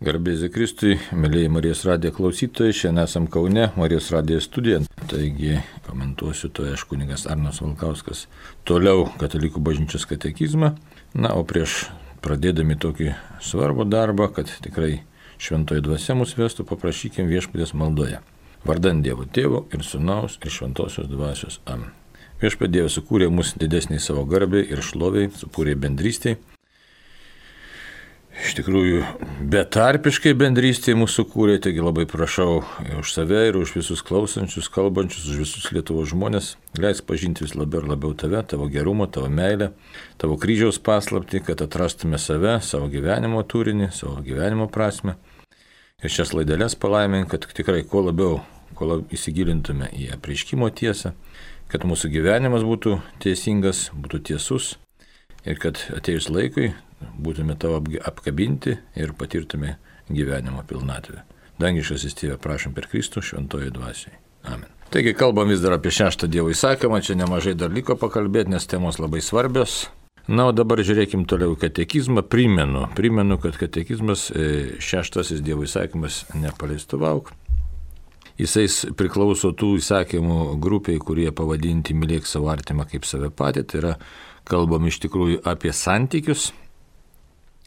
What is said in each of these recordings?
Garbėsiu Kristui, mėlyjei Marijos radijo klausytojai, šiandien esam Kaune, Marijos radijo studijoje. Taigi komentuosiu to aš kunigas Arnas Valkauskas. Toliau Katalikų bažnyčios katekizmą. Na, o prieš pradėdami tokį svarbų darbą, kad tikrai šventoji dvasia mus vestų, paprašykim viešpaties maldoje. Vardan Dievo Tėvo ir Sūnaus ir Šventosios dvasios. Amen. Viešpatie Dievas sukūrė mus didesniai savo garbei ir šloviai, sukūrė bendrystėj. Iš tikrųjų, betarpiškai bendrystėje mūsų kūrė, taigi labai prašau už save ir už visus klausančius, kalbančius, už visus Lietuvos žmonės. Leisk pažinti vis labiau ir labiau tave, tavo gerumą, tavo meilę, tavo kryžiaus paslaptį, kad atrastume save, savo gyvenimo turinį, savo gyvenimo prasme. Ir šias laideles palaimink, kad tikrai kuo labiau įsigilintume į apreiškimo tiesą, kad mūsų gyvenimas būtų teisingas, būtų tiesus ir kad atėjus laikui būtume tavo apkabinti ir patirtume gyvenimo pilnatvę. Dangiškasis Tėve, prašom per Kristų šventoji dvasiai. Amen. Taigi kalbam vis dar apie 6 Dievo įsakymą, čia nemažai dar liko pakalbėti, nes temos labai svarbios. Na, o dabar žiūrėkim toliau katekizmą. Primenu, kad katekizmas 6 Dievo įsakymas nepaleistuvauk. Jisais priklauso tų įsakymų grupiai, kurie pavadinti mylėk savo artimą kaip save patį. Tai yra, kalbam iš tikrųjų apie santykius.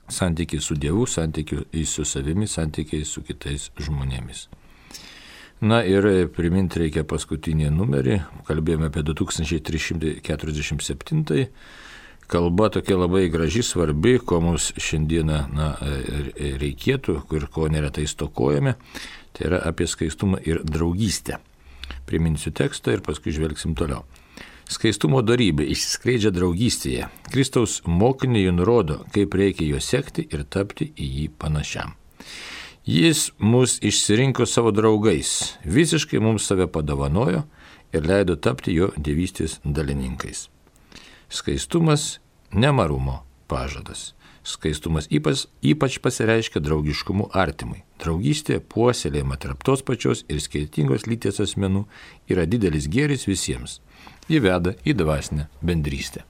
Santykiai su Dievu, santykiai su savimi, santykiai su kitais žmonėmis. Na ir priminti reikia paskutinį numerį. Kalbėjome apie 2347. Kalba tokia labai graži, svarbi, ko mums šiandieną reikėtų ir ko neretai stokojame. Tai yra apie skaistumą ir draugystę. Priminsiu tekstą ir paskui žvelgsim toliau. Skaistumo dorybė išsiskleidžia draugystėje. Kristaus mokiniai nurodo, kaip reikia jo sekti ir tapti į jį panašiam. Jis mus išsirinko savo draugais, visiškai mums save padovanojo ir leido tapti jo dievystės dalininkais. Skaistumas nemarumo pažadas. Skaistumas ypač pasireiškia draugiškumu artimui. Draugystė puoselėjama tarp tos pačios ir skirtingos lyties asmenų yra didelis gėris visiems. Ji veda į dvasinę bendrystę.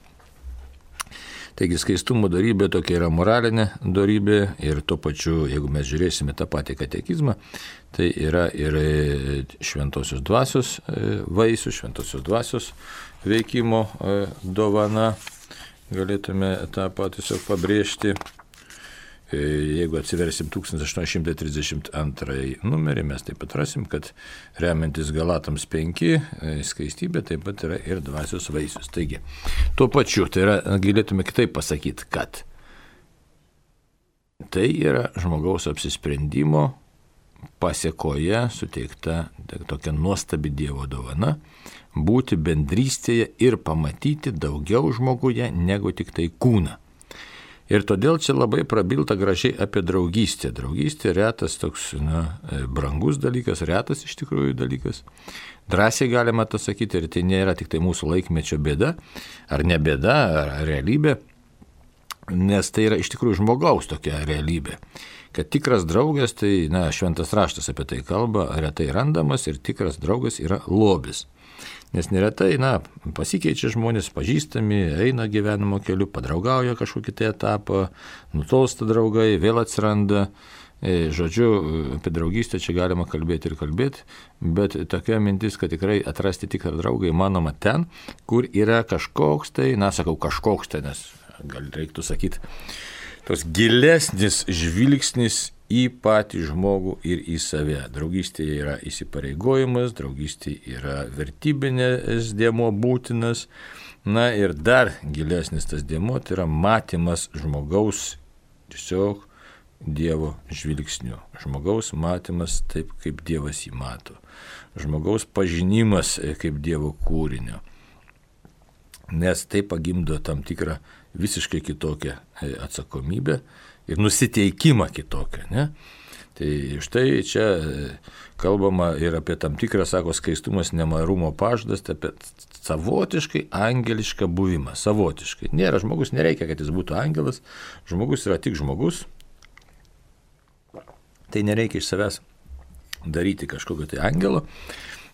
Taigi skaistumo dorybė tokia yra moralinė dorybė ir tuo pačiu, jeigu mes žiūrėsime tą patį katekizmą, tai yra ir šventosios dvasios vaisių, šventosios dvasios veikimo dovana. Galėtume tą patį tiesiog pabrėžti. Jeigu atsiversim 1832 numerį, mes taip pat rasim, kad remiantis Galatams 5 skaistybė taip pat yra ir dvasios vaisius. Taigi, tuo pačiu, tai yra, galėtume kitaip pasakyti, kad tai yra žmogaus apsisprendimo pasėkoje suteikta tokia nuostabi Dievo dovana, būti bendrystėje ir pamatyti daugiau žmoguje negu tik tai kūną. Ir todėl čia labai prabilta gražiai apie draugystę. Draugystė retas toks, brangus dalykas, retas iš tikrųjų dalykas. Drąsiai galima tą sakyti ir tai nėra tik tai mūsų laikmečio bėda, ar ne bėda, ar realybė, nes tai yra iš tikrųjų žmogaus tokia realybė. Kad tikras draugas, tai, šventas raštas apie tai kalba, retai randamas ir tikras draugas yra lobis. Nes neretai, pasikeičia žmonės, pažįstami, eina gyvenimo keliu, padraugauja kažkokį tai etapą, nutolsta draugai, vėl atsiranda. Žodžiu, apie draugystę čia galima kalbėti ir kalbėti, bet tokia mintis, kad tikrai atrasti tikrą draugą įmanoma ten, kur yra kažkoks tai, kažkoks tai, nes gal reiktų sakyti, tos gilesnis žvilgsnis į patį žmogų ir į save. Draugystėje yra įsipareigojimas, draugystėje yra vertybinės dėmuo būtinas. Na ir dar gilesnis tas dėmuo, tai yra matymas žmogaus tiesiog Dievo žvilgsniu. Žmogaus matymas taip, kaip Dievas jį mato. Žmogaus pažinimas kaip Dievo kūrinio. Nes tai pagimdo tam tikrą visiškai kitokią atsakomybę ir nusiteikimą kitokią, ne? Tai štai čia kalbama ir apie tam tikrą, skaistumas nemarumo pažadas, apie savotiškai angelišką buvimą, savotiškai. Žmogus nereikia, kad jis būtų angelas, žmogus yra tik žmogus, tai nereikia iš savęs daryti kažkokio tai angelo,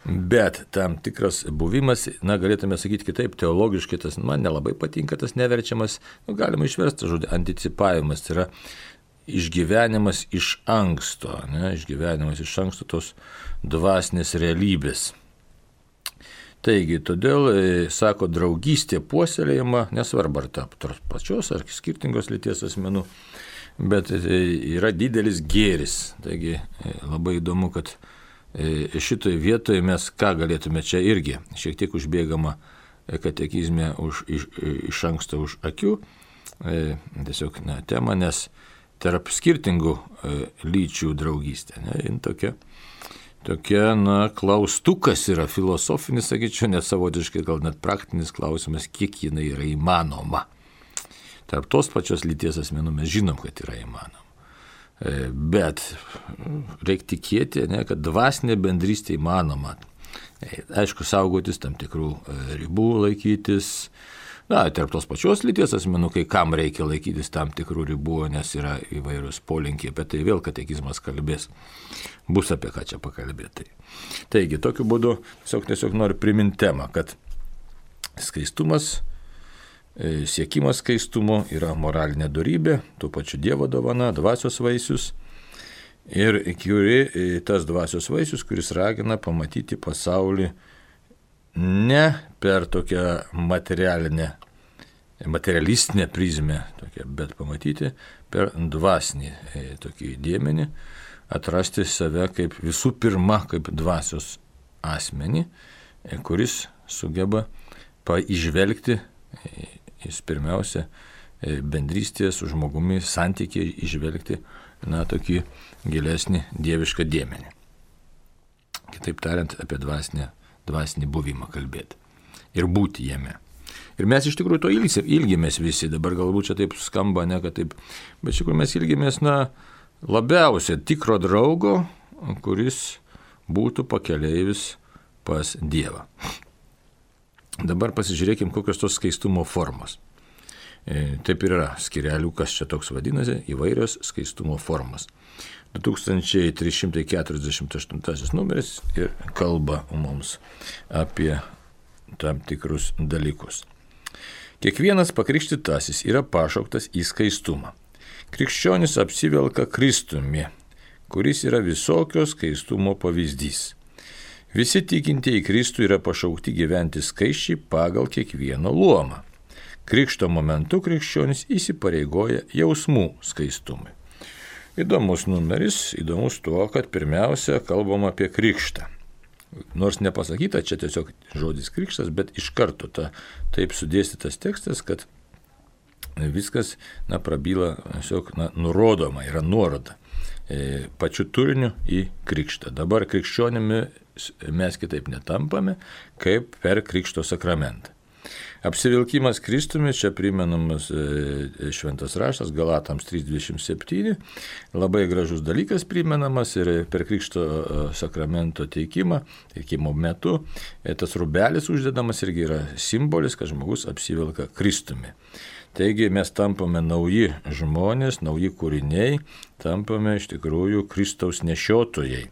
bet tam tikras buvimas, galėtume sakyti kitaip, teologiškai tas, man nelabai patinka tas neverčiamas, galima išversti žodį anticipavimas, tai yra išgyvenimas iš anksto, išgyvenimas iš anksto tos dvasinės realybės. Taigi, todėl, sako, draugystė puoselėjama, nesvarbu ar tos pačios ar skirtingos lyties asmenų, bet yra didelis gėris. Taigi, labai įdomu, kad šitoje vietoje mes ką galėtume čia irgi, šiek tiek užbėgama katekizme iš anksto už akių, tiesiog tema, nes tarp skirtingų lyčių draugystė, tokia, klaustukas yra filosofinis, sakyčiau, net savotiškai, gal net praktinis klausimas, kiek jinai yra įmanoma. Tarp tos pačios lyties asmenų mes žinom, kad yra įmanoma. Bet reikia tikėti, kad dvasinė bendrystė įmanoma. Aišku, saugotis tam tikrų ribų, laikytis. Tarp tos pačios lyties asmenų, kai kam reikia laikytis tam tikrų ribų, nes yra įvairūs polinkiai, bet tai vėl katekizmas kalbės. Bus apie ką čia pakalbėti. Taigi, tokiu būdu tiesiog noriu priminti temą, kad skaistumas, siekimas skaistumo yra moralinė dorybė, tuo pačiu Dievo dovana, dvasios vaisius. Ir tas dvasios vaisius, kuris ragina pamatyti pasaulį ne per tokią materialistinę prizmę, bet pamatyti per dvasinį tokį dėmenį, atrasti save kaip visų pirma, kaip dvasios asmenį, kuris sugeba įžvelgti, jis pirmiausia, bendrystėje su žmogumi santykiai įžvelgti, tokį gilesnį dievišką dėmenį. Kitaip tariant, apie dvasinį buvimą kalbėti ir būti jame. Ir mes iš tikrųjų to ilgimės visi, dabar galbūt čia taip skamba, kad taip, bet iš tikrųjų mes ilgimės labiausiai tikro draugo, kuris būtų pakeleivis pas Dievą. Dabar pasižiūrėkim, kokios tos skaistumo formos. Taip ir yra skireliukas čia toks vadinasi, įvairios skaistumo formos. 2348 numeris ir kalba mums apie tam tikrus dalykus. Kiekvienas pakrikštytasis yra pašauktas į skaistumą. Krikščionis apsivelka Kristumi, kuris yra visokio skaistumo pavyzdys. Visi tikintieji Kristų yra pašaukti gyventi skaisčiai pagal kiekvieno luomą. Krikšto momentu krikščionis įsipareigoja jausmų skaistumui. Įdomus numeris, įdomus tuo, kad pirmiausia kalbam apie krikštą. Nors nepasakyta čia tiesiog žodis krikštas, bet iš karto taip sudėstytas tekstas, kad viskas prabyla, tiesiog nurodoma, yra nuoroda pačiu turiniu į krikštą. Dabar krikščionimi mes kitaip netampame, kaip per krikšto sakramentą. Apsivilkimas Kristumi, čia primenamas šventas raštas, Galatams 3:27, labai gražus dalykas primenamas ir per krikšto sakramento teikimo metu tas rūbelis uždedamas irgi yra simbolis, kad žmogus apsivilka Kristumi. Taigi mes tampame nauji žmonės, nauji kūriniai, tampame iš tikrųjų Kristaus nešiotojai,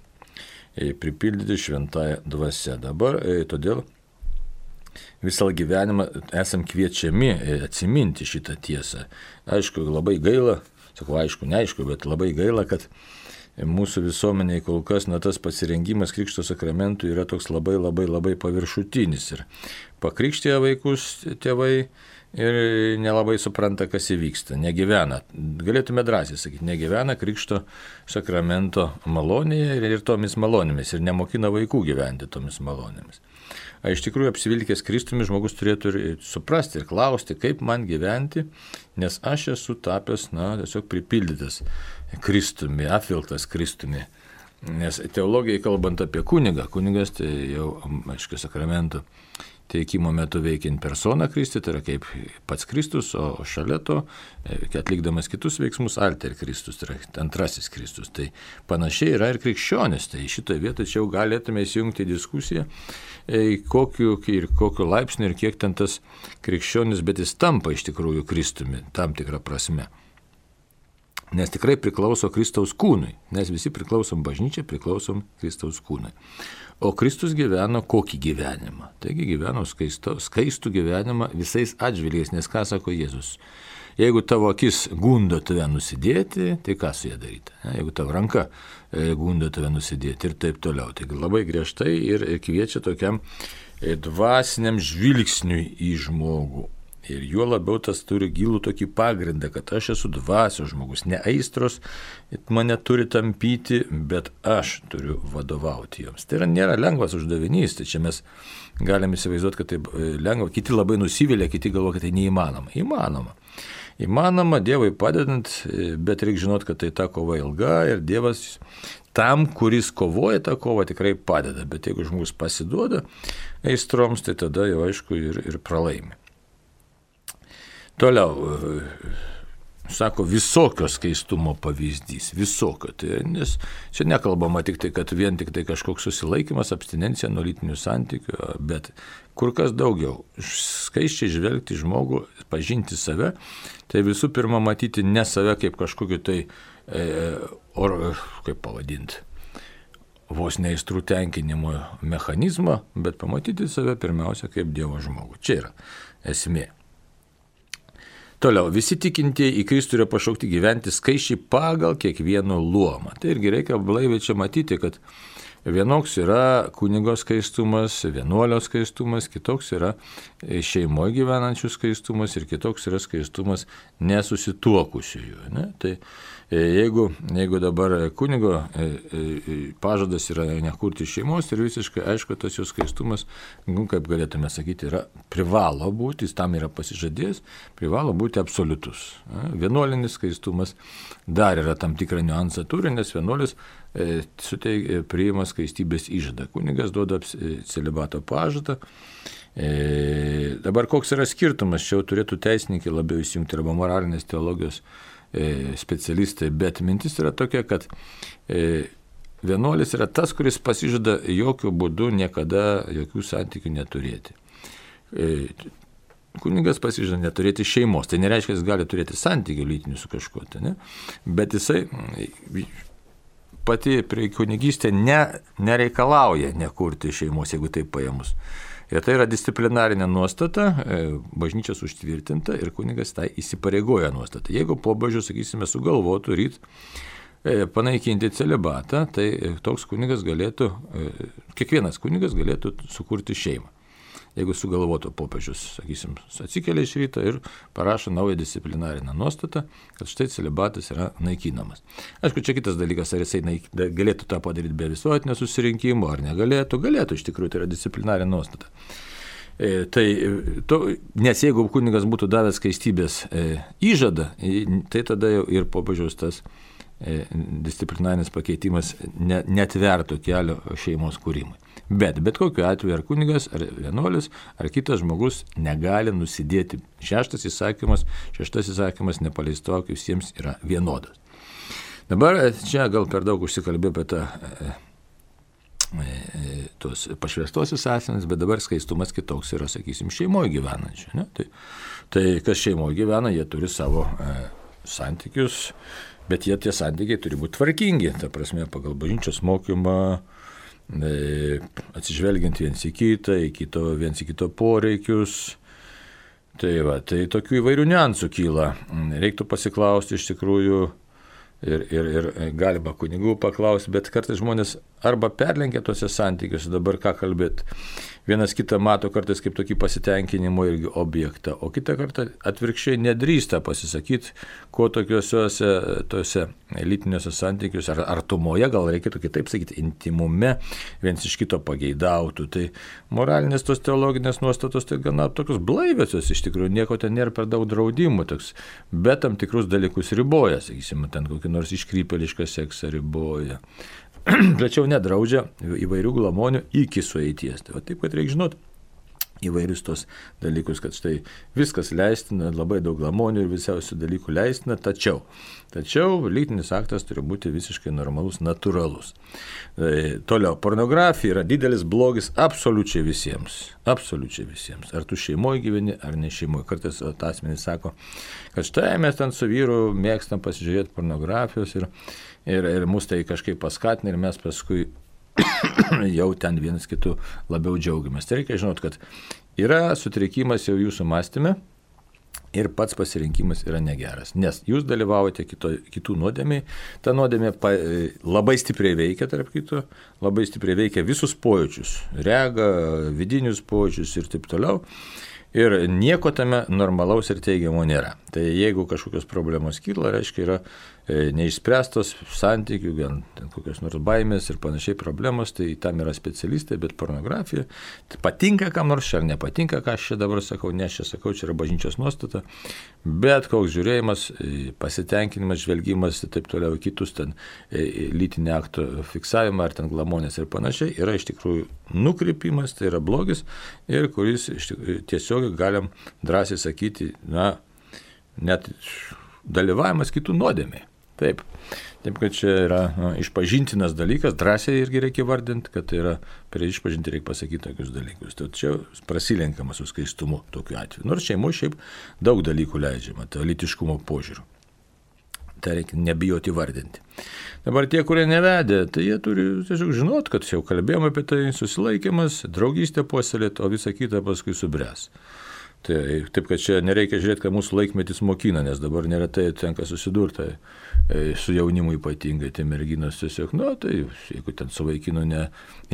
pripildyti šventąją dvasią. Dabar todėl visą gyvenimą esam kviečiami atsiminti šitą tiesą. Aišku, labai gaila, neaišku, bet labai gaila, kad mūsų visuomeniai kol kas tas pasirengimas krikšto sakramentų yra toks labai paviršutinis. Ir pakrikštėję vaikus tėvai ir nelabai supranta, kas įvyksta, negyvena. Galėtume drąsiai sakyti, negyvena krikšto sakramento malonėje ir tomis malonėmis ir nemokina vaikų gyventi tomis malonėmis. Iš tikrųjų, apsivilkęs Kristumi žmogus turėtų ir suprasti ir klausti, kaip man gyventi, nes aš esu tapęs, tiesiog pripildytas Kristumi, apvilktas Kristumi. Nes teologijai kalbant apie kunigą, kunigas tai jau, aišku, sakramento teikimo metu veikiant persona Kristi, tai yra kaip pats Kristus, o šalia to, atlikdamas kitus veiksmus, alter Kristus, tai yra antrasis Kristus. Tai panašiai yra ir krikščionis, tai šitoje vietoje čia jau galėtume įsijungti į diskusiją, kokiu laipsniu ir kiek ten tas krikščionis, bet jis tampa iš tikrųjų Kristumi, tam tikrą prasme. Nes tikrai priklauso Kristaus kūnui, nes visi priklausom bažnyčiai, priklausom Kristaus kūnui. O Kristus gyveno kokį gyvenimą? Taigi gyveno skaistų gyvenimą visais atžvilgiais, nes ką sako Jėzus? jeigu tavo akis gundo tave nusidėti, tai ką su ją daryti? Jeigu tavo ranka gundo tave nusidėti ir taip toliau. Taigi labai griežtai ir kviečia tokiam dvasiniam žvilgsniui į žmogų. Ir juo labiau tas turi gilų tokį pagrindą, kad aš esu dvasios žmogus, ne aistros mane turi tampyti, bet aš turiu vadovauti joms. Tai nėra lengvas uždavinys, tai čia mes galime įsivaizduoti, kad tai lengva, kiti labai nusivylė, kiti galvo, kad tai neįmanoma. Įmanoma Dievui padedant, bet reikia žinoti, kad tai ta kova ilga ir Dievas tam, kuris kovoja tą kovą, tikrai padeda, bet jeigu žmogus pasiduoda aistroms, tai tada jau aišku ir pralaimi. Toliau, sako, visokio skaistumo pavyzdys, visokio. Tai, nes čia nekalbama tik tai, kad vien tik tai kažkoks susilaikymas, abstinencija nuo lytinių santykių, bet kur kas daugiau. Skaisčiai žvelgti žmogų, pažinti save, tai visų pirma matyti ne save kaip kažkokį tai, kaip pavadinti, vos neaistrų tenkinimo mechanizmą, bet pamatyti save pirmiausia kaip Dievo žmogų. Čia yra esmė. Toliau, visi tikintieji į Kristų yra pašaukti gyventi skaisčiai pagal kiekvieno luomą. Tai irgi reikia blaiviai čia matyti, kad vienoks yra kunigo skaistumas, vienuolio skaistumas, kitoks yra šeimoje gyvenančių skaistumas ir kitoks yra skaistumas nesusituokusiųjų. Ne? Tai jeigu dabar kunigo pažadas yra nekurti šeimos ir visiškai aišku, tas jų skaistumas, kaip galėtume sakyti, privalo būti, jis tam yra pasižadėjęs, privalo būti absoliutus. Vienuolinis skaistumas dar yra tam tikrą niuansą turi, nes vienuolis priima skaistybės įžadą. Kunigas duoda celibato pažadą. Dabar koks yra skirtumas, čia jau turėtų teisininkai labiau įsijungti arba moralinės teologijos specialistai, bet mintis yra tokia, kad vienuolis yra tas, kuris pasižada jokių būdų niekada jokių santykių neturėti. Kunigas pasižada neturėti šeimos, tai nereiškia, jis gali turėti santykių lytinių su kažkuo, ne? Bet jisai pati kunigystė nereikalauja nekurti šeimos, jeigu taip paėmus. Ir tai yra disciplinarinė nuostata, bažnyčios užtvirtinta ir kunigas tai įsipareigoja nuostata. Jeigu pobūdžiu, sakysime, sugalvotų panaikinti celibatą, tai toks kunigas galėtų, kiekvienas kunigas galėtų sukurti šeimą. Jeigu sugalvotų popiežius, sakysim, atsikelia iš ryto ir parašo naują disciplinarinę nuostatą, kad štai celibatas yra naikinamas. Aišku, čia kitas dalykas, ar jisai galėtų tą padaryti be visuotinio susirinkimo, ar negalėtų. Galėtų, iš tikrųjų, tai yra disciplinarinė nuostata. Nes jeigu kunigas būtų davęs skaistybės įžadą, tai tada jau ir popiežiaus tas disciplinarinis pakeitimas netvertų kelio šeimos kūrimui. Bet kokiu atveju ar kunigas, ar vienuolis, ar kitas žmogus negali nusidėti. Šeštas įsakymas nepaleistok visiems yra vienodas. Dabar čia gal per daug užsikalbėjau apie tos pašvęstosius asmenis, bet dabar skaistumas kitoks yra, sakysim, šeimoje gyvenančių. Ne? Tai kas šeimoje gyvena, jie turi savo santykius, bet tie santykiai turi būti tvarkingi, ta prasme, pagal bažnyčios mokymą, atsižvelgiant viens į kito poreikius. Tai tokių įvairių niuansų kyla. Reiktų pasiklausti iš tikrųjų ir galima kunigų paklausti, bet kartais žmonės arba perlenkia tuose santykiuose, dabar ką kalbėti. Vienas kitą mato kartais kaip tokį pasitenkinimo irgi objektą, o kitą kartą atvirkščiai nedrįsta pasisakyti, ko tokiuose lytiniuose santykiuose, ar artumoje, gal reikėtų kitaip sakyti, intimume, viens iš kito pageidautų. Tai moralinės tos teologinės nuostatos tai gana tokios blaiviosios, iš tikrųjų nieko ten nėra per daug draudimų, bet tam tikrus dalykus riboja, sakysime, ten kokį nors iškrypėlišką seksą riboja. Tačiau nedraudžia įvairių glamonių iki sueities. Tai taip, kad reikia žinoti įvairius tos dalykus, kad štai viskas leistina, labai daug glamonių ir visiausių dalykų leistina, tačiau lytinis aktas turi būti visiškai normalus, natūralus. Toliau, pornografija yra didelis blogis absoliučiai visiems. Absoliučiai visiems. Ar tu šeimoje gyveni, ar ne šeimoje. Kartais asmenys sako, kad štai mes ten su vyru mėgstam pasižiūrėti pornografijos ir mus tai kažkaip paskatina ir mes paskui jau ten vienas kitų labiau džiaugiamės. Tai reikia žinoti, kad yra sutrikimas jau jūsų mąstyme, ir pats pasirinkimas yra negeras, nes jūs dalyvaujate kitų nuodėmiai, ta nuodėmė labai stipriai veikia, tarp kito, labai stipriai veikia visus pojūčius, regą, vidinius pojūčius ir taip toliau. Ir nieko tame normalaus ir teigiamo nėra. Tai jeigu kažkokios problemos kyla, reiškia yra neišspręstos santykių, kokios nors baimės ir panašiai problemos, tai tam yra specialistai, bet pornografija tai patinka kam nors ar nepatinka, ką aš čia dabar sakau, ne aš čia sakau, čia yra bažnyčios nuostata, bet koks žiūrėjimas, pasitenkinimas, žvelgimas ir taip toliau kitus ten lytinį akto fiksavimą ar ten glamonės ir panašiai yra iš tikrųjų nukrypimas, tai yra blogis ir kuris tiesiog galim drąsiai sakyti, net dalyvavimas kitų nuodėmiai. Taip, kad čia yra išpažintinas dalykas, drąsiai irgi reikia vardinti, kad tai yra prie išpažinti reikia pasakyti tokius dalykus. Tai čia prasilenkama su skaistumu tokiu atveju. Nors šeimoje šiaip daug dalykų leidžiama, tai lytiškumo požiūriu. Tai reikia nebijoti vardinti. Dabar tie, kurie nevedė, tai jie turi tiesiog žinot, kad jau kalbėjome apie tai, susilaikymas, draugystė puoselėti, o visa kita paskui subręs. Taip, kad čia nereikia žiūrėti, kad mūsų laikmetis mokina, nes dabar neretai tenka susidurti su jaunimu ypatingai, tai merginos tiesiog, tai jeigu ten su vaikinu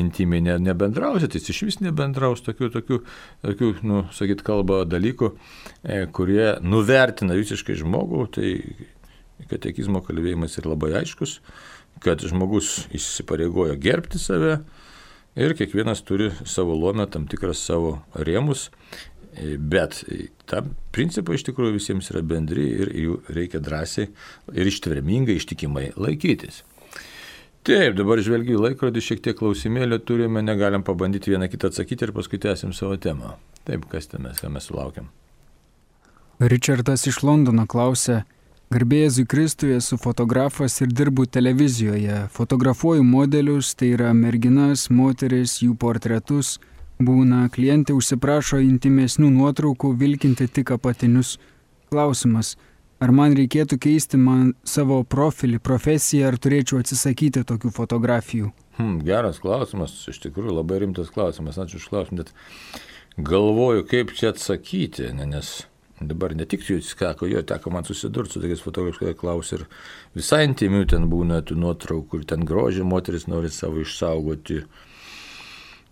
intimiai nebendrausi, tai jis iš vis nebendraus tokių sakyt, kalbą dalykų, kurie nuvertina visiškai žmogų, tai katekizmo kalbėjimas yra labai aiškus, kad žmogus įsipareigojo gerbti save ir kiekvienas turi savo luomę, tam tikras savo rėmus, bet tam principai iš tikrųjų visiems yra bendri ir jų reikia drąsiai ir ištvermingai, ištikimai laikytis. Taip, dabar žvelgiu į laikrodį, šiek tiek klausimėlio turime, negalim pabandyti vieną kitą atsakyti ir paskui tęsim savo temą. Taip, ką mes sulaukiam? Richardas iš Londono klausia, garbė Jėzui Kristui, esu fotografas ir dirbu televizijoje. Fotografuoju modelius, tai yra merginas, moteris, jų portretus. Būna, klientė užsiprašo intimesnių nuotraukų, vilkinti tik apatinius. Klausimas, ar man reikėtų keisti savo profilį, profesiją, ar turėčiau atsisakyti tokių fotografijų? Geras klausimas, iš tikrųjų labai rimtas klausimas, ačiū už klausimą, bet galvoju, kaip čia atsakyti, nes dabar ne tik jūs teko man susidurti su tokiais fotografais, kurie klausia ir visai intimių ten būna tų nuotraukų ir ten grožį moteris nori savo išsaugoti.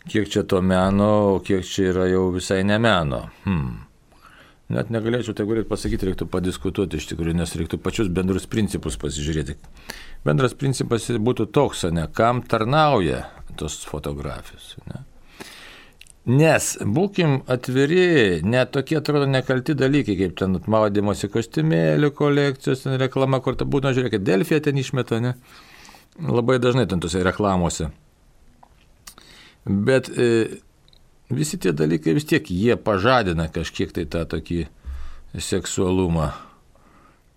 Kiek čia to meno, o kiek čia yra jau visai ne meno. Net negalėčiau tai galėti pasakyti, reiktų padiskutuoti iš tikrųjų, nes reiktų pačius bendrus principus pasižiūrėti. Bendras principas būtų toks, kam tarnauja tos fotografijos. Nes, būkim atviri, net tokie atrodo nekalti dalykai, kaip ten maudymosi kostiumėlių kolekcijos, ten reklama, kur ta būna, žiūrėkit, Delfija ten išmeta, labai dažnai ten tose reklamose. Bet visi tie dalykai vis tiek jie pažadina kažkiek tai tą tokį seksualumą.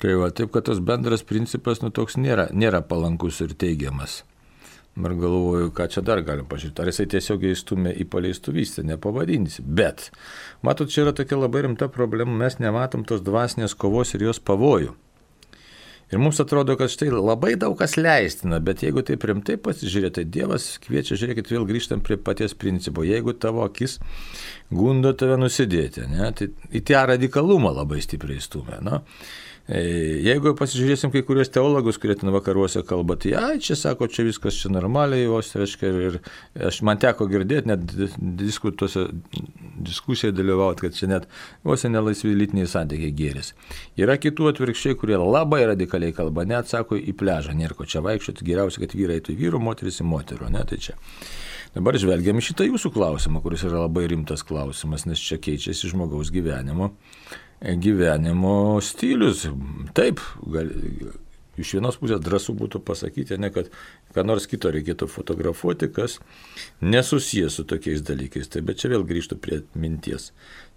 Tai taip, kad tos bendras principas toks nėra palankus ir teigiamas. Ir galvoju, ką čia dar galim pažiūrėti. Ar jisai tiesiog įstumė į paleistuvystę, nepavadinsi. Bet, matot, čia yra tokia labai rimta problema, mes nematom tos dvasinės kovos ir jos pavojų. Ir mums atrodo, kad štai labai daug kas leistina, bet jeigu taip rimtai pasižiūrėti, tai Dievas kviečia, žiūrėkit, vėl grįžtam prie paties principo. Jeigu tavo akis gundo tave nusidėti, tai į tą radikalumą labai stipriai stumia. Jeigu pasižiūrėsim kai kurios teologus, kurie ten vakaruose kalba, tai čia sako, čia viskas čia normaliai, ir man teko girdėti, net diskusijai dalyvauti, kad čia net vos nelaisvi lytiniai santykiai gėris. Yra kitų atvirkščiai, kurie labai radikaliai kalba, net sako į pležą, nėra ko čia vaikščioti, geriausia, kad vyrai eitų į vyrų, moteris į moterų, tai čia. Dabar žvelgiam į šitą jūsų klausimą, kuris yra labai rimtas klausimas, nes čia keičiasi žmogaus gyvenimo stilius. Taip, iš vienos pusės drąsu būtų pasakyti, kad ką nors kito reikėtų fotografuoti, kas nesusijęs su tokiais dalykais. Tai, bet čia vėl grįžtų prie minties.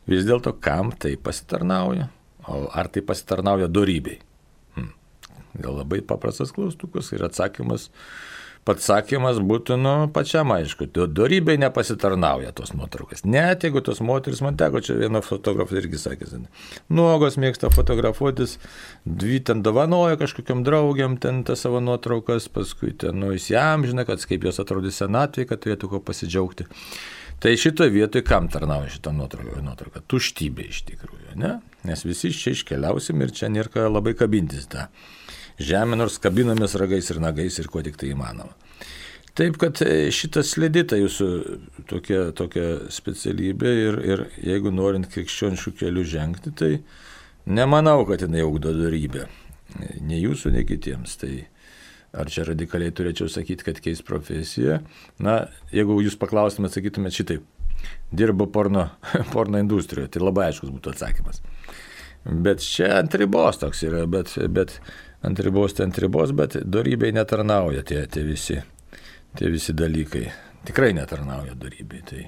Vis dėlto, kam tai pasitarnauja? Ar tai pasitarnauja dorybei? Gal labai paprastas klaustukas ir atsakymas būtų pačiam aišku. Dorybei nepasitarnauja tos nuotraukas. Net jeigu tos moteris, man teko čia vieno fotografas irgi sakė, nuogos mėgsta fotografuotis, dvi ten dovanoja kažkokiam draugiam ten tas savo nuotraukas, paskui ten įsiamžina, kad kaip jos atrodys senatvėje, kad turėtų ko pasidžiaugti. Tai šitoje vietoje kam tarnauja šitą nuotrauką? Tuštybė iš tikrųjų, ne? Nes visi čia iškeliausim ir čia nėra labai kabintis tą žemę, nors kabinamės ragais ir nagais ir kuo tik tai įmanoma. Taip, kad šitas slėdita jūsų tokia specialybė ir jeigu norint krikščioniškų kelių žengti, tai nemanau, kad jinai ugdo dorybę. Nei jūsų, nei kitiems. Tai ar čia radikaliai turėčiau sakyti, kad keis profesiją? Na, jeigu jūs paklaustumėt, sakytumėt šitaip, dirbo porno industrijoje, tai labai aiškus būtų atsakymas. Bet čia ant ribos toks yra, bet ant ribos, bet dorybei netarnauja tie visi dalykai. Tikrai netarnauja dorybei. Tai.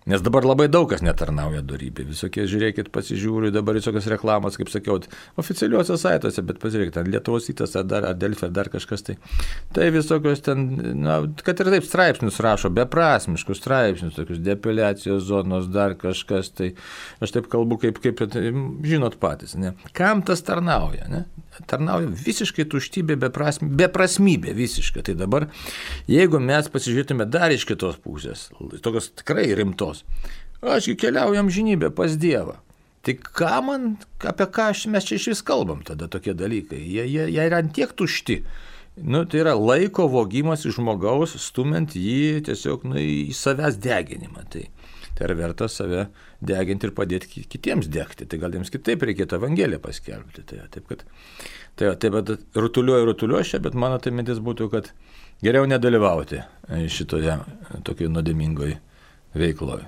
Nes dabar labai daug kas netarnauja dorybei. Visokie, žiūrėkit, pasižiūriu, dabar visokios reklamos, kaip sakiau, oficialiuose saituose, bet pasižiūrėkit, ar Lietuvos rytas, ar Delfi, ar dar kažkas tai. Tai visokios ten, kad ir taip straipsnius rašo, beprasmiškus straipsnius, tokius depiliacijos zonos, dar kažkas, tai aš taip kalbu, kaip žinot patys, ne? Kam tas tarnauja, ne? Tarnauja visiškai tuštybė, beprasmybė visiškai. Tai dabar, jeigu mes pasižiūrėtume dar iš kitos pusės, tokios tikrai rimtos, aš keliauju amžinybę pas Dievą. Tai apie ką mes čia iš vis kalbam tada tokie dalykai? Jie yra tiek tušti. Tai yra laiko vogimas iš žmogaus, stumiant jį tiesiog į savęs deginimą. Tai yra verta save deginti ir padėti kitiems degti. Tai gal jiems kitaip reikėtų Evangeliją paskelbti. Taip, bet rutuliuoju čia, bet mano tai mintis būtų, kad geriau nedalyvauti šitoje tokioje nuodėmingoje veikloje.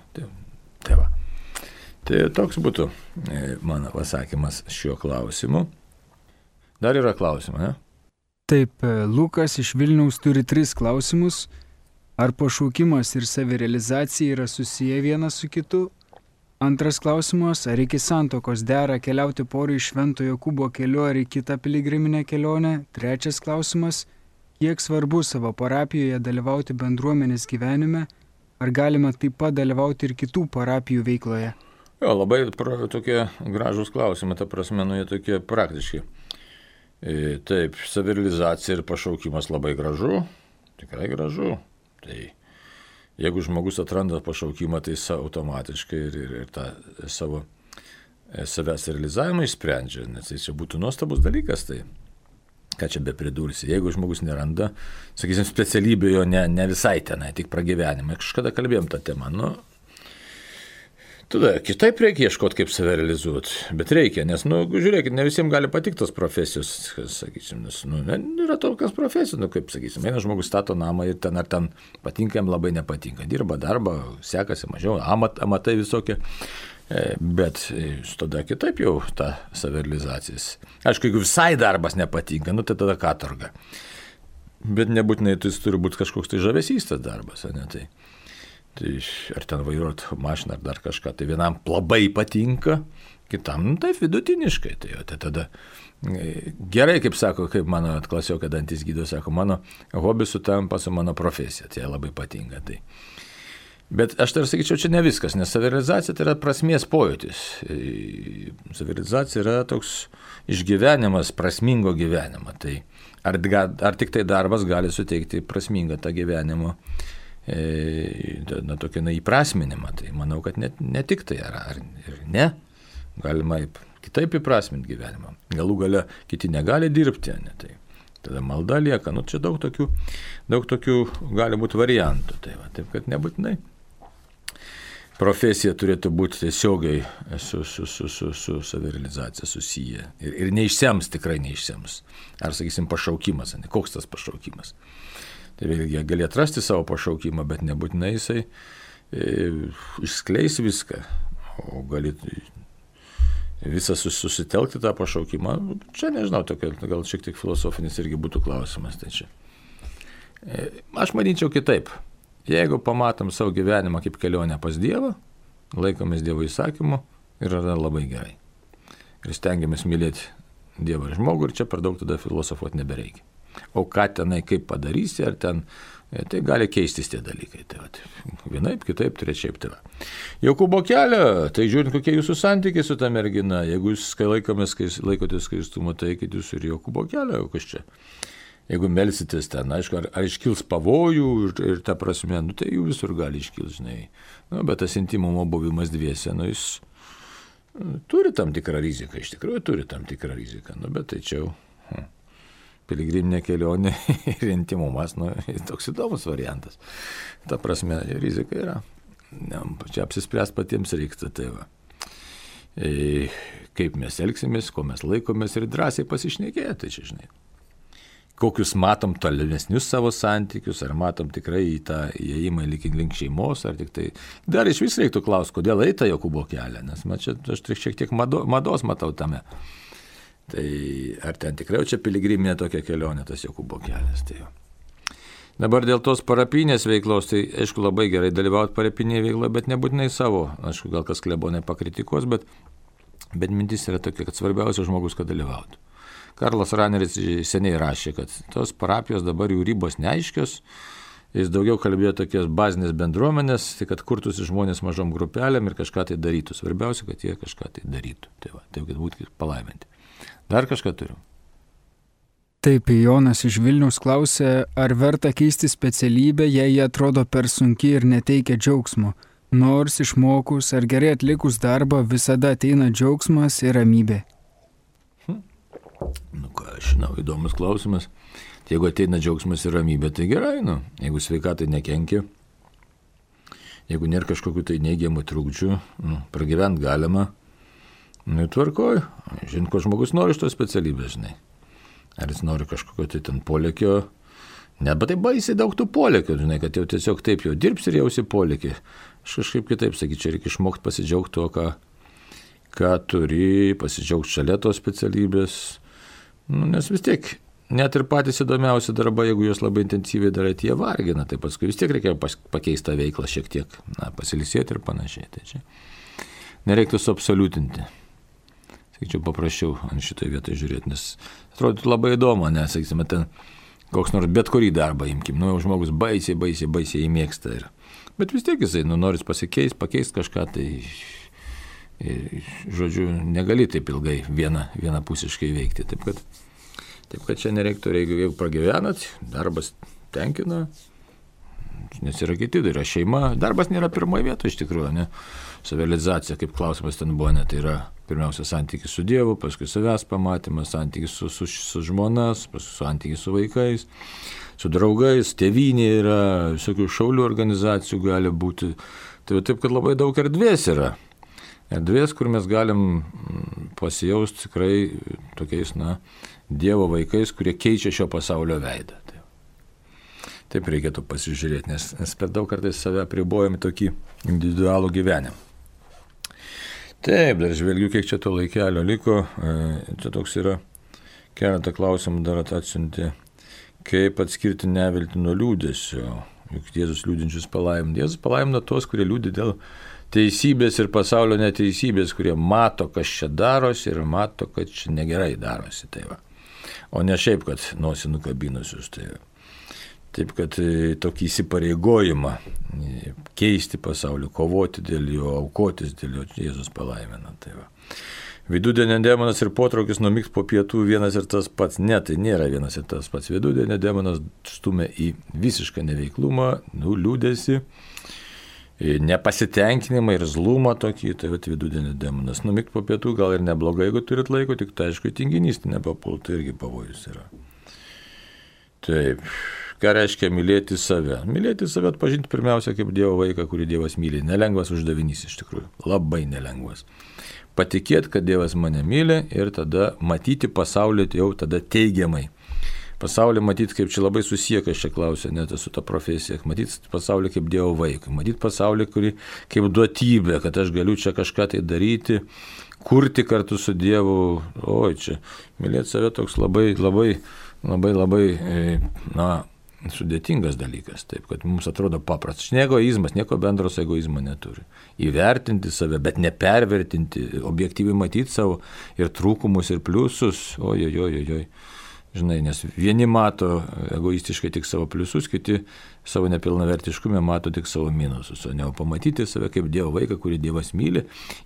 Tai toks būtų mano pasakymas šiuo klausimu. Dar yra klausimai, ne? Taip, Lukas iš Vilniaus turi 3 klausimus. Ar pašaukimas ir savirealizacija yra susiję vienas su kitu? Antras klausimas, ar iki santuokos dera keliauti porui Švento Jokūbo keliu ar į kitą piligriminę kelionę? Trečias klausimas, kiek svarbu savo parapijoje dalyvauti bendruomenės gyvenime? Ar galima taip pat dalyvauti ir kitų parapijų veikloje? Jo, labai tokie gražūs klausimai, ta prasme, jie tokie praktiški. Taip, savirealizacija ir pašaukimas labai gražu, tikrai gražu. Tai jeigu žmogus atranda pašaukimą, tai automatiškai ir tą savęs realizavimą išsprendžia, nes tai čia būtų nuostabus dalykas, tai ką čia be pridursi. Jeigu žmogus neranda, sakysim, specialybė jo ne visai tenai, tik pragyvenimą. Kažkada kalbėjom tą temą, tada kitaip reikia ieškoti, kaip save realizuoti, bet reikia, nes, žiūrėkit, ne visiems gali patikti tos profesijos, sakysim, nes, yra tokios profesijos, kaip, sakysim, vienas žmogus stato namą ir ten ar ten patinka, jam labai nepatinka, dirba darbą, sekasi mažiau, amatai visokie, bet tada kitaip jau ta savirealizacija. Aišku, jeigu visai darbas nepatinka, tai tada katorga, bet nebūtinai jis turi būti kažkoks tai žavesys tas darbas, ne tai. Tai ar ten vairuoti mašiną ar dar kažką, tai vienam labai patinka, kitam taip vidutiniškai. Tai tada gerai, kaip sako, kaip mano klasiokai dantis gydytojas sako, mano hobis sutampa su mano profesija, tai labai patinka. Tai. Bet aš tai sakyčiau, čia ne viskas, nes savirealizacija tai yra prasmės pojūtis. Savirealizacija yra toks išgyvenimas, prasmingo gyvenimo. Tai ar tik tai darbas gali suteikti prasmingą tą gyvenimo tokį įprasminimą, tai manau, kad ne tik tai ar ne, galima kitaip įprasminti gyvenimą. Galų gale kiti negali dirbti, ne, tai tada malda lieka, čia daug tokių gali būti variantų, taip kad nebūtinai. Profesija turėtų būti tiesiogiai su savirealizacija susiję ir neišsems, tikrai neišsems. Ar, sakysim, pašaukimas, ne, koks tas pašaukimas. Tai vėlgi gali atrasti savo pašaukimą, bet nebūtinai jisai išskleis viską, o gali visą susitelkti tą pašaukimą. Čia nežinau, gal šiek tiek filosofinis irgi būtų klausimas. Tai čia. Aš manyčiau kitaip. Jeigu pamatom savo gyvenimą kaip kelionę pas Dievą, laikomės Dievo įsakymų ir yra labai gerai. Ir stengiamės mylėti Dievą ir žmogų ir čia per daug tada filosofuoti nebereikia. O ką tenai kaip padarysi, ar ten, tai gali keistis tie dalykai. Tai vienaip, kitaip, trečiaip. Jokūbo kelio, tai žiūrint, kokie jūsų santykiai su ta mergina, jeigu jūs laikotės skaistumo, tai eikit jūs ir Jokūbo kelio, kas čia. jeigu melsitės ten, aišku, ar iškils pavojų ir ta prasme, nu, tai jų visur gali iškils, žinai. Nu, bet tas intimumo buvimas dviese, nu, jis turi tam tikrą riziką, iš tikrųjų turi tam tikrą riziką, nu, bet tai čia jau piligriminė kelionė ir intimumas, nu, toks įdomus variantas. Ta prasme, rizika yra. Čia apsispręs patiems reiktų, tai va. Kaip mes elgsimės, ko mes laikomės ir drąsiai pasišnekėti, tai čia, žinai. Kokius matom tolimesnius savo santykius, ar matom tikrai į tą įėjimą link šeimos, ar tik tai. Dar iš vis reiktų klausti, kodėl eita Jokūbo kelią, nes čia aš šiek tiek mados matau tame. Tai ar ten tikrai čia piligriminė tokia kelionė, tas Jokūbo kelias. Tai jau. Dabar dėl tos parapinės veiklos, tai aišku labai gerai dalyvauti parapinėje veikloje, bet nebūtinai savo. Aišku, gal kas klebonai pakritikos, bet mintis yra tokia, kad svarbiausia žmogus, kad dalyvautų. Karlas Raneris seniai rašė, kad tos parapijos dabar jų ribos neaiškios. Jis daugiau kalbėjo tokias bazinės bendruomenės, tai kad kurtųsi žmonės mažom grupelėm ir kažką tai darytų. Svarbiausia, kad jie kažką tai darytų. Tai va, taip, kad būtų palaiminti. Dar kažką turiu. Taip, Jonas iš Vilniaus klausė, ar verta keisti specialybę, jei jie atrodo per sunki ir neteikia džiaugsmo. Nors išmokus ar gerai atlikus darbą visada ateina džiaugsmas ir ramybė. Nu ką, aš žinau, įdomus klausimas. Jeigu ateina džiaugsmas ir ramybė, tai gerai, nu. Jeigu sveikatai nekenkia, jeigu nėra kažkokių tai neigiamų trukdžių, nu, pragyvent galima, nu, tvarkoj. Žinai, ko žmogus nori iš tos specialybės, žinai. Ar jis nori kažkokio tai ten polėkio, ne, bet tai baisiai daug tų polėkių, žinai, kad jau tiesiog taip jau dirbs ir jausi polėkį. Aš kažkaip kitaip sakyčiau, čia reikia išmokti pasidžiaugti to, ką turi, pasidžiaugti šalia tos specialybės. Nu, nes vis tiek, net ir patys įdomiausi darbai, jeigu juos labai intensyviai darai, jie vargina, tai paskui vis tiek reikia pakeisti tą veiklą šiek tiek, na, pasilisėti ir panašiai. Tai čia nereiktų suabsoliutinti. Sakyčiau, paprasčiau ant šitoj vietoj žiūrėti, nes atrodytų labai įdomu, nes, sakysime, ten koks nors bet kurį darbą imkim, nu, jau žmogus baisiai įmėgsta. Bet vis tiek jisai, nu, noris pakeisti kažką, tai, žodžiu, negali taip ilgai vienapusiškai veikti. Taip, kad čia nereiktų, jeigu pragyvenat, darbas tenkina, nes yra kiti, tai yra šeima, darbas nėra pirmoje vietoje iš tikrųjų, ne? Savirealizacija, kaip klausimas ten buvo, ne, tai yra pirmiausia santykis su Dievu, paskui savęs pamatymas, santykis su žmona, santykis su vaikais, su draugais, tėvynė yra, visokių šaulių organizacijų gali būti. Tai taip, kad labai daug erdvės yra. Erdvės, kur mes galim pasijausti tikrai tokiais, na, Dievo vaikais, kurie keičia šio pasaulio veidą. Taip reikėtų pasižiūrėti, nes per daug kartais save apribojame tokį individualų gyvenimą. Taip, dar žvelgiu, kiek čia to laikelio liko. Čia toks yra keletą klausimų dar atsiuntė. Kaip atskirti neviltį nuo liūdesio? Juk Jėzus liūdinčius palaimina. Jėzus palaimina tos, kurie liūdi dėl teisybės ir pasaulio neteisybės, kurie mato, kas čia darosi ir mato, kad čia negerai darosi. Tai va. O ne šiaip, kad nosį nukabinusius. Tai va. Taip, kad tokį įsipareigojimą keisti pasaulį, kovoti dėl jo, aukotis dėl jo, Jėzus palaimina. Tai va. Vidudienio demonas ir potraukis numigti po pietų vienas ir tas pats. Ne, tai nėra vienas ir tas pats. Vidudienio demonas stumia į visišką neveiklumą, liūdesį, nepasitenkinimą ir zlumą tokį. Tai va, vidudienio demonas. Numigti po pietų gal ir neblogai, jeigu turit laiko, tik tai aišku, tinginys nepapultų, irgi pavojus yra. Taip. Ką reiškia mylėti save? Mylėti save atpažinti pirmiausia kaip Dievo vaiką, kurį Dievas myli. Nelengvas uždavinys iš tikrųjų. Labai nelengvas. Patikėti, kad Dievas mane myli ir tada matyti pasaulį jau tada teigiamai. Pasaulį matyti, kaip čia labai susiję, kas čia klausia, net su ta profesija. Matyti pasaulį kaip Dievo vaiką. Matyti pasaulį, kurį kaip duotybė, kad aš galiu čia kažką tai daryti, kurti kartu su Dievu. Oi, čia mylėti save toks labai, na, sudėtingas dalykas, taip, kad mums atrodo paprastas. Egoizmas, nieko bendro su egoizmu neturi. Įvertinti save, bet nepervertinti, objektyviai matyti savo ir trūkumus, ir pliusus. Ojojojojoj. Žinai, nes vieni mato egoistiškai tik savo pliusus, kiti savo nepilnavertiškume mato tik savo minusus. O ne pamatyti save kaip Dievo vaiką, kurį Dievas myli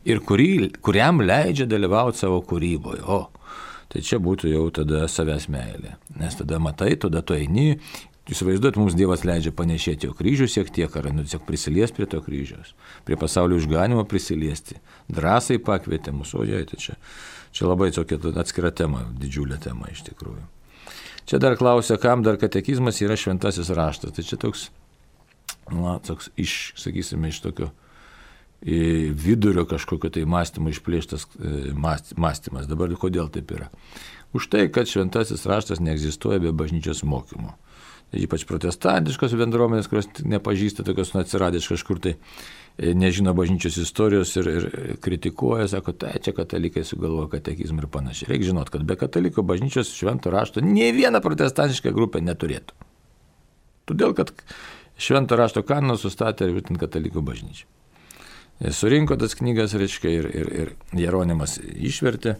ir kuriam leidžia dalyvauti savo kūryboje. tai čia būtų jau tada savęs meilė. Nes tada matai, tada tu eini, įsivaizduot, mums Dievas leidžia panešėti jo kryžių šiek tiek, ar tiesiog prisiliesti prie to kryžiaus, prie pasaulio išganimo prisiliesti. Drąsai pakvietė mus, tai čia labai tokia atskira tema, didžiulė tema iš tikrųjų. Čia dar klausia, kam dar katekizmas yra šventasis raštas. Tai čia toks sakysime, iš tokio vidurio kažkokio tai mąstymo išplėštas mąstymas. Dabar kodėl taip yra? Už tai, kad šventasis raštas neegzistuoja be bažnyčios mokymo. Ypač protestantiškos bendruomenės, kurios nepažįsta tokios atsiradęs kažkur tai, nežino bažnyčios istorijos ir kritikuoja, sako, tai čia katalikai sugalvoja katekizmą ir panašiai. Reikia žinot, kad be kataliko bažnyčios švento rašto nei viena protestantiška grupė neturėtų. Todėl, kad švento rašto kanoną sustatė būtent katalikų bažnyčia. Surinko tas knygas, reiškia, ir Jeronimas išvertė.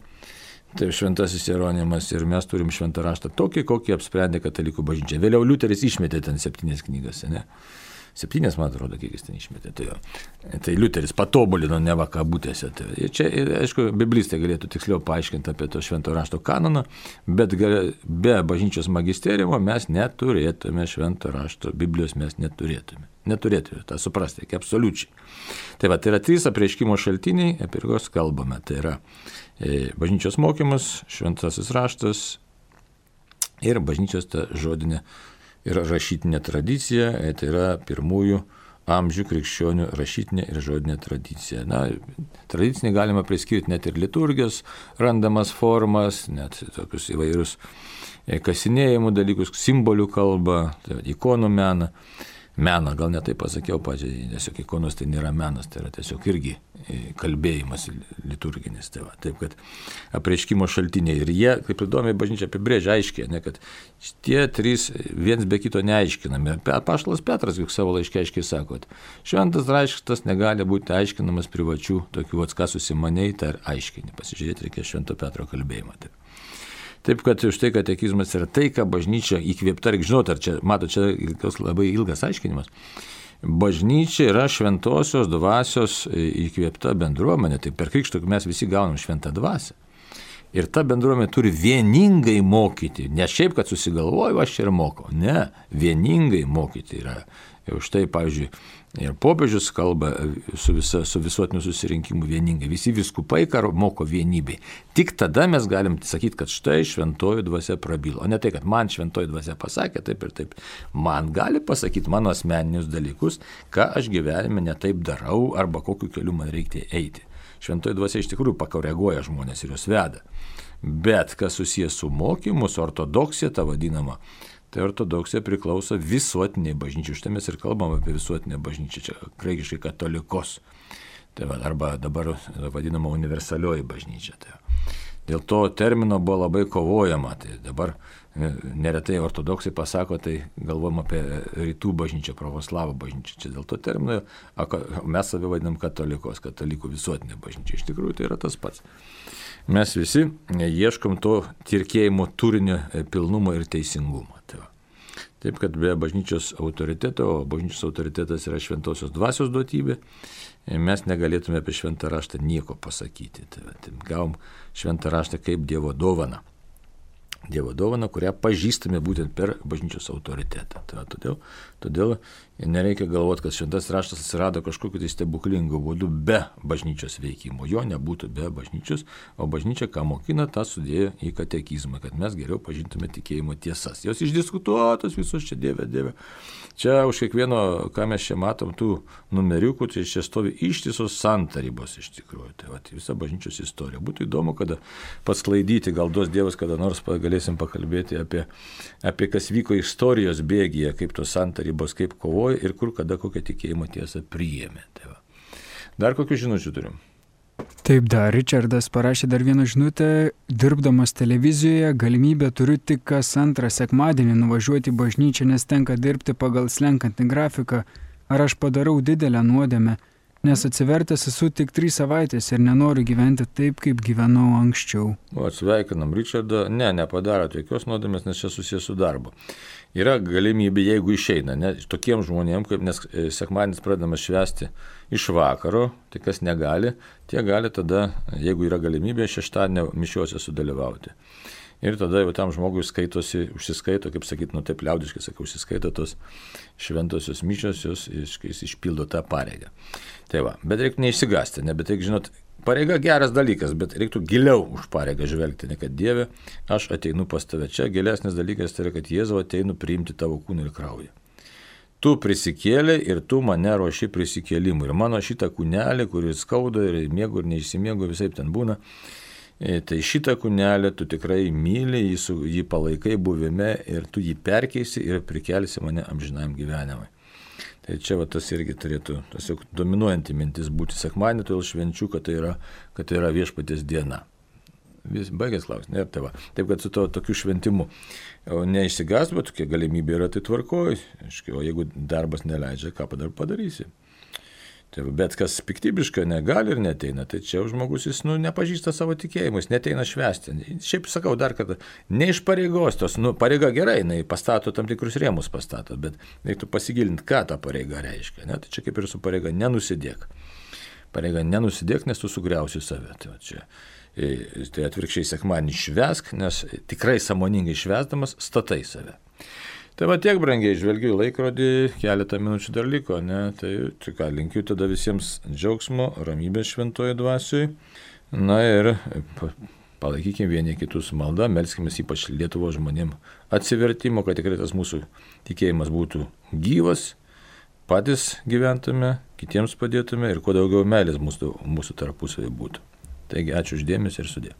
Tai šventasis Jeronimas ir mes turim šventą raštą tokį, kokį apsprendė katalikų bažnyčia. Vėliau Liuteris išmetė ten 7 knygas, ne? 7, man atrodo, kiek jis ten išmetė. Tai Liuteris patobulino neva kabutėse. Tai čia, aišku, biblistai galėtų tiksliau paaiškinti apie to švento rašto kanoną, bet be bažnyčios magisteriumo mes neturėtume švento rašto, Biblijos mes neturėtume. Neturėtume, tą suprasti, reikia absoliučiai. Tai yra 3 apreiškimo šaltiniai, apie kuriuos kalbame. Tai yra bažnyčios mokymas, šventasis raštas ir bažnyčios ta žodinė ir rašytinė tradicija, tai yra pirmųjų amžių krikščionių rašytinė ir žodinė tradicija. Tradicinė galima priskirti net ir liturgijos randamas formas, net tokius įvairius kasinėjimų dalykus, simbolių kalbą, tai ikonų meną. Meną, gal ne taip pasakiau pačiai, tiesiog ikonos tai nėra menas, tai yra tiesiog irgi kalbėjimas liturginis. Taip, kad apreiškimo šaltiniai ir jie, kaip įdomiai bažnyčia apibrėžia aiškiai, kad tie 3 viens be kito neaiškinami. Apaštalas Petras juk savo laiške aiškiai sako, šventas raštas negali būti aiškinamas privačių, tokių ką susimaniai, tai aiškini. Pasižiūrėti reikia Švento Petro kalbėjimą. Taip, kad už tai katekizmas yra tai, ką bažnyčia įkvėpta, reikia žinoti, ar čia, čia labai ilgas aiškinimas. Bažnyčia yra šventosios dvasios įkvėpta bendruomenė, tai per krikštą mes visi gaunam šventą dvasią. Ir ta bendruomenė turi vieningai mokyti, ne šiaip, kad susigalvoju, aš čia ir mokau, ne, vieningai mokyti yra. Ir už tai, pavyzdžiui, ir popiežius kalba su visuotiniu susirinkimu vieningai. Visi vyskupai moko vienybei. Tik tada mes galim sakyti, kad štai šventoji dvasia prabilo. O ne tai, kad man šventoji dvasia pasakė taip ir taip. Man gali pasakyti mano asmeninius dalykus, ką aš gyvenime ne taip darau arba kokiu keliu man reikia eiti. Šventoji dvasia iš tikrųjų pakoreguoja žmonės ir juos veda. Bet kas susijęs su mokymu, su ortodoksija, ta vadinama, tai ortodoksija priklauso visuotiniai bažnyčiai. Štai mes ir kalbam apie visuotinę bažnyčią, čia graikiškai katolikos. Arba dabar vadinama universalioji bažnyčia. Dėl to termino buvo labai kovojama. Tai dabar neretai ortodoksai pasako, tai galvom apie rytų bažnyčią, pravoslavų bažnyčią. Čia dėl to termino mes save vadinam katalikos, katalikų visuotinė bažnyčia. Iš tikrųjų tai yra tas pats. Mes visi ieškom to tikėjimo turinio pilnumo ir teisingumo. Taip, kad be bažnyčios autoriteto, o bažnyčios autoritetas yra šventosios dvasios duotybė, mes negalėtume apie šventą raštą nieko pasakyti. Gavom šventą raštą kaip Dievo dovaną. Dievo dovaną, kurią pažįstame būtent per bažnyčios autoritetą. Todėl nereikia galvoti, kad šventas raštas atsirado kažkokiu tai stebuklingu būdu be bažnyčios veikimo. Jo nebūtų be bažnyčios, o bažnyčia, ką mokina, tą sudėjo į katekizmą, kad mes geriau pažintume tikėjimo tiesas. Jos išdiskutuotos visos čia Dieve. Čia už kiekvieno, ką mes čia matom, tų numeriukų, tai čia stovi ištisos santarybos iš tikrųjų. Tai visa bažnyčios istorija. Būtų įdomu, kada pasklaidyti, gal duos Dievas, kada nors galėsim pakalbėti apie kas vyko istorijos bėgyje, kaip tos santarybos, kaip kovoja ir kur kada kokią tikėjimo tiesą priėmė. Dar kokių žinučių turim? Taip, Richardas parašė dar vieną žinutę. Dirbdamas televizijoje galimybę turiu tik kas antrą sekmadienį nuvažiuoti į bažnyčią, nes tenka dirbti pagal slenkantį grafiką. Ar aš padarau didelę nuodėmę? nes atsivertęs esu tik 3 savaitės ir nenoriu gyventi taip, kaip gyvenau anksčiau. O, sveikinam Richardą, nepadaro jokios nuodėmės, nes čia susijęs su darbu. Yra galimybė, jeigu išeina, tokiem žmonėm, kaip nes sekmadienis pradedamas švęsti iš vakaro, tai kas negali, tie gali tada, jeigu yra galimybė, šeštadienio mišiuose sudalyvauti. Ir tada jau tam žmogui užsiskaito, kaip sakyt, taip liaudiškai sakau, užsiskaito tos šventosios mišios, jis išpildo tą pareigą. Tai va, bet reikia neišsigąsti, bet reikia žinot, pareiga geras dalykas, bet reiktų giliau už pareigą žvelgti, ne kad Dieve, aš ateinu pas tave. Čia gilesnis dalykas tai yra, kad Jėzau ateinu priimti tavo kūną ir kraują. Tu prisikėlė ir tu mane ruoši prisikėlimui. Ir mano šitą kūnelį, kuris skauda ir miegu ir neišsimiegu, visai ten būna, tai šitą kūnelį tu tikrai myli, jį palaikai buvime ir tu jį perkeisi ir prikelsi mane amžinam gyvenimui. Tai čia tas irgi turėtų tiesiog dominuojanti mintis būti sekmadienį, todėl švenčiu, kad tai yra viešpaties diena. Baigęs klausimą. Taip, kad su tokiu šventimu neišsigąs, bet tokia galimybė yra, tai tvarkoj. O jeigu darbas neleidžia, ką padarysi? Tai, bet kas piktybiškai negali ir neteina, tai čia žmogus jis nepažįsta savo tikėjimą, jis neteina švęsti. Šiaip sakau dar kartą, ne iš pareigos, pareiga gerai, jinai pastato tam tikrus rėmus pastato, bet reiktų pasigilinti, ką ta pareiga reiškia. Tai čia kaip ir su pareiga nenusidėk. Pareiga nenusidėk, nes tu sugriausi save. Tai atvirkščiai sekmadienį švęsk, nes tikrai sąmoningai švęsdamas statai save. Tai va tiek, brangiai, žvelgiu į laikrodį, keletą minučių dar liko, Tai ką, linkiu tada visiems džiaugsmo, ramybės šventoje dvasioj. Ir palaikykime vieni kitus maldą, melskime ypač Lietuvos žmonėm atsivertimo, kad tikrai tas mūsų tikėjimas būtų gyvas, patys gyventume, kitiems padėtume ir kuo daugiau meilės mūsų tarpusavy būtų. Taigi, ačiū už dėmesį ir sudie.